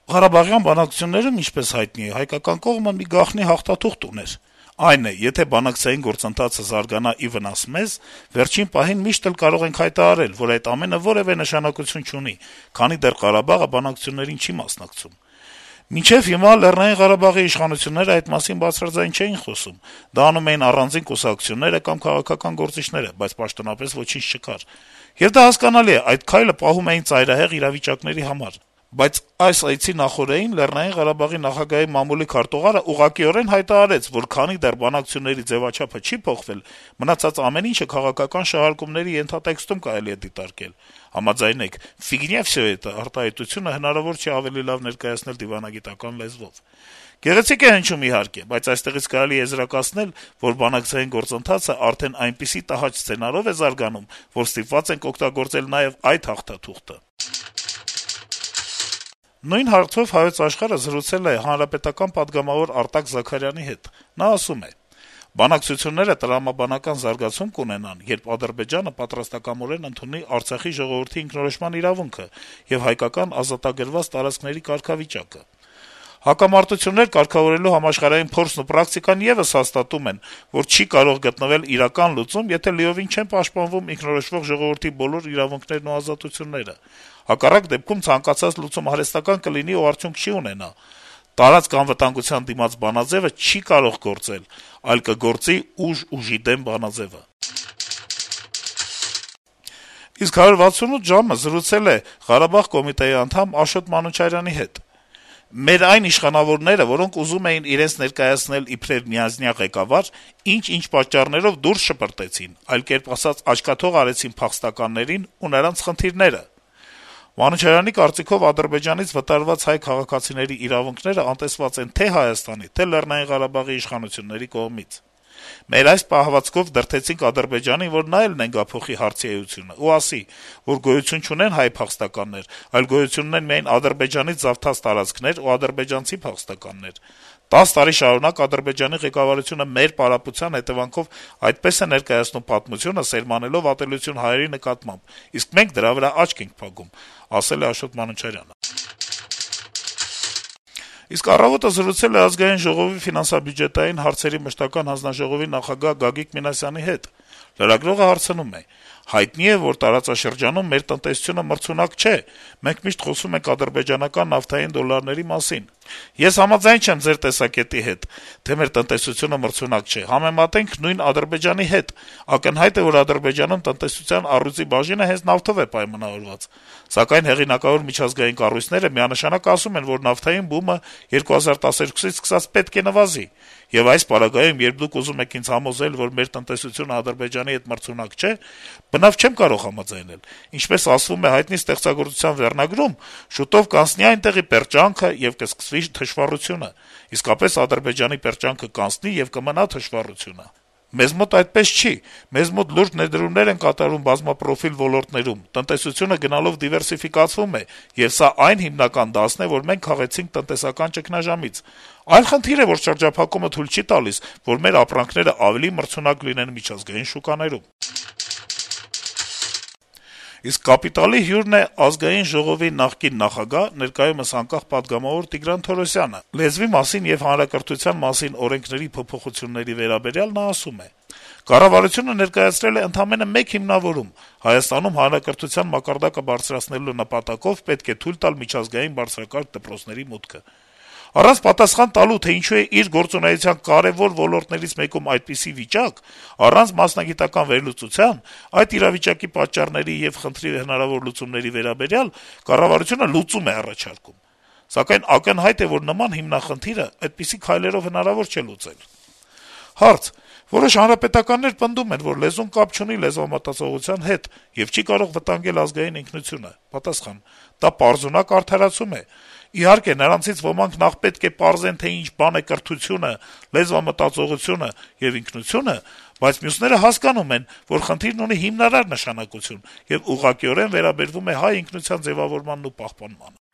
Ղարաբաղյան բանակցություններում, ինչպես հայտնի է, հայկական կողմը մի գաղտնի հաղթաթուղթ ուներ. այն է, եթե բանակցային գործընթացը զարգանա ի վնաս մեզ, վերջին պահին միշտ էլ կարող ենք հայտարարել, որ այդ ամենը որեւէ նշանակություն չունի, քանի դեռ Ղարաբաղը բանակցություններին չի մասնակցում։ Մինչեւ հիմա Լեռնային Ղարաբաղի իշխանությունները այդ մասին բարձրաձայն չէին խոսում, դա անում էին առանձին կուսակցությունները կամ քաղաքական գործիչները, բայց պաշտոնապես ոչինչ չկար։ Եվ դա հասկանալի է, այդ քայլը պահում էին ծայրահեղ իրավիճակների համար։ Բայց այս այցի նախօրեին Լեռնային Ղարաբաղի նախագահի մամուլի քարտուղարը ուղղակիորեն հայտարարեց, որ քանի դեռ բանակցությունների ձեւաչափը չի փոխվել, մնացած ամեն ինչը քաղաքական շահարկումների ենթատեքստում կարելի է դիտարկել։ Համաձայնեք, ֆիգնյա վսյո էտա արտահայտությունը հնարավոր չի ավելի լավ ներկայացնել դիվանագիտական լեզվով։ Գեղեցիկ է հնչում իհարկե, բայց այստեղից կարելի է եզրակացնել, որ բանակցային գործընթացը արդեն այնպիսի տհաճ սցենարով է զարգանում, որ ստիպված ենք օգտագործել նաեւ այդ հաղթաթուղթը։ Նույն հարցով Հայոց Աշխարհը զրուցել է հանրապետական պատգամավոր Արտակ Զաքարյանի հետ։ Նա ասում է. «Բանակցությունները տրամաբանական զարգացում կունենան, երբ Ադրբեջանը պատրաստակամորեն ընդունի Արցախի ժողովրդի ինքնորոշման իրավունքը եւ հայկական ազատագրված տարածքների կարգավիճակը։ Հակամարտություններ կարգավորելու համաշխարհային փորձն ու պրակտիկան եւս հաստատում են, որ չի կարող գտնվել իրական լուծում, եթե լիովին չեն պաշտպանվում ինքնորոշվող ժողովրդի բոլոր իրավունքներն ու ազատությունները։ Հակառակ դեպքում ցանկացած լուծում արհեստական կլինի ու արդյունք չի ունենա։ Տարածք անվտանգության դիմաց բանաձեւը չի կարող գործել, այլ կգործի ուժի դեմ բանաձեւը»։ Իսկ 168 ժամը զրուցել է Ղարաբաղ կոմիտեի անդամ Աշոտ Մանուչարյանի հետ։ «Մեր այն իշխանավորները, որոնք ուզում էին իրենց ներկայացնել իբրև միանձնյա ղեկավար, ինչ պատճառներով դուրս շպրտեցին, այլ կերպ ասած աչքաթող արեցին փախստականներին ու նրանց խնդիրները»։ Մանուչարյանի կարծիքով Ադրբեջանից վտարված հայ քաղաքացիների իրավունքները անտեսված են թե Հայաստանի, թե Լեռնային Ղարաբաղի իշխանությունների կողմից։ «Մեր այս պահվածքով դրդեցինք Ադրբեջանին, որ նա էլ նենգափոխի հարցի էությունը ու ասի, որ գոյություն չունեն հայ փախստականներ, այլ գոյություն ունեն միայն Ադրբեջանից զավթած տարածքներ ու ադրբեջանցի փախստականներ։ 10 տարի շարունակ Ադրբեջանի ղեկավարությունը մեր պարապության հետեւանքով այդպես է ներկայացնում պատմությունը, սերմանելով ատելություն հայերի նկատմամբ, իսկ մենք դրա վրա աչք ենք փակում», ասել է Աշոտ Մանուչարյանը։ Իսկ «Առավոտ»-ը զրուցել է Ազգային ժողովի ֆինանսա-բյուջետային հարցերի մշտական հանձնաժողովի նախագահ Գագիկ Մինասյանի հետ։ Լրագրողը հարցնում է. - «Հայտնի է, որ տարածաշրջանում մեր տնտեսությունը մրցունակ չէ, մենք միշտ խոսում ենք ադրբեջանական նավթային դոլարների մասին։ Ես համաձայն չեմ ձեր տեսակետի հետ, թե մեր տնտեսությունը մրցունակ չէ, համեմատենք նույն Ադրբեջանի հետ։ Ակնհայտ է, որ Ադրբեջանում տնտեսության առյուծի բաժինը հենց նավթով է պայմանավորված։ Սակայն հեղինակավոր միջազգային կառույցները միանշանակ ասում են, որ նավթային բումը 2012-ից սկսած պետք է նվազի։ Եվ այս պարագայում, երբ դուք ուզում եք ինձ համոզել, որ մեր տնտեսությունը Ադրբեջանի հետ մրցունակ չէ, բնավ չեմ կարող համաձայնել։ Ինչպես ասվում է հայտնի ստեղծագործության վերնագրում, շուտով կանցնի այնտեղի պերճանքը եւ կսկսվի թշվառությունը։ Իսկապես Ադրբեջանի պերճանքը կանցնի եւ կմնա թշվառությունը։ Մեզ մոտ այդպես չի։ Մեզ մոտ լուրջ ներդրումներ են կատարվում բազմապրոֆիլ ոլորտներում, տնտեսությունը գնալով դիվերսիֆիկացվում է, եւ սա այն հիմնական դասն է, որ մենք քաղեցինք տնտեսական ճգնաժամից։ Այլ խնդիր է, որ շրջափակումը թույլ չի տալիս, որ մեր ապրանքները ավելի մրցունակ լինեն միջազգային շուկաներում»։ Իսկ «Կապիտալ»-ի հյուրն է Ազգային ժողովի նախկին նախագահ, ներկայումս անկախ պատգամավոր Տիգրան Թորոսյանը։ Լեզվի մասին եւ հանրակրթության մասին օրենքների փոփոխությունների վերաբերյալ նա ասում է. - «Կառավարությունը ներկայացրել է ընդամենը մեկ հիմնավորում. Հայաստանում հանրակրթության մակարդակը բարձրացնելու նպատակով պետք է թույլ տալ միջազգային բարձրակարգ դպրոցների մուտքը։ Առանց պատասխան տալու, թե ինչու է իր գործունեության կարեւոր ոլորտներից մեկում այդպիսի վիճակ, առանց մասնագիտական վերլուծության, այդ իրավիճակի պատճառների եւ խնդրի հնարավոր լուծումների վերաբերյալ կառավարությունը լուծում է առաջարկում։ Սակայն ակնհայտ է, որ նման հիմնախնդիրը այդպիսի քայլերով հնարավոր չէ լուծել»։ Հարց. - «Որոշ հանրապետականներ պնդում են, որ լեզուն կապ չունի լեզվամտածողության հետ եւ չի կարող վտանգել ազգային ինքնությունը»։ Պատասխան. - «Դա պարզունակ արդարացում է։ Իհարկե, նրանցից ոմանք նախ պետք է պարզեն, թե ինչ բան է կրթությունը, լեզվամտածողությունը եւ ինքնությունը, բայց մյուսները հասկանում են, որ խնդիրն ունի հիմնարար նշանակություն եւ ուղղակիորեն վերաբերվում է հայ ինքնության ձեւավորմանն ու պահպանմանը»։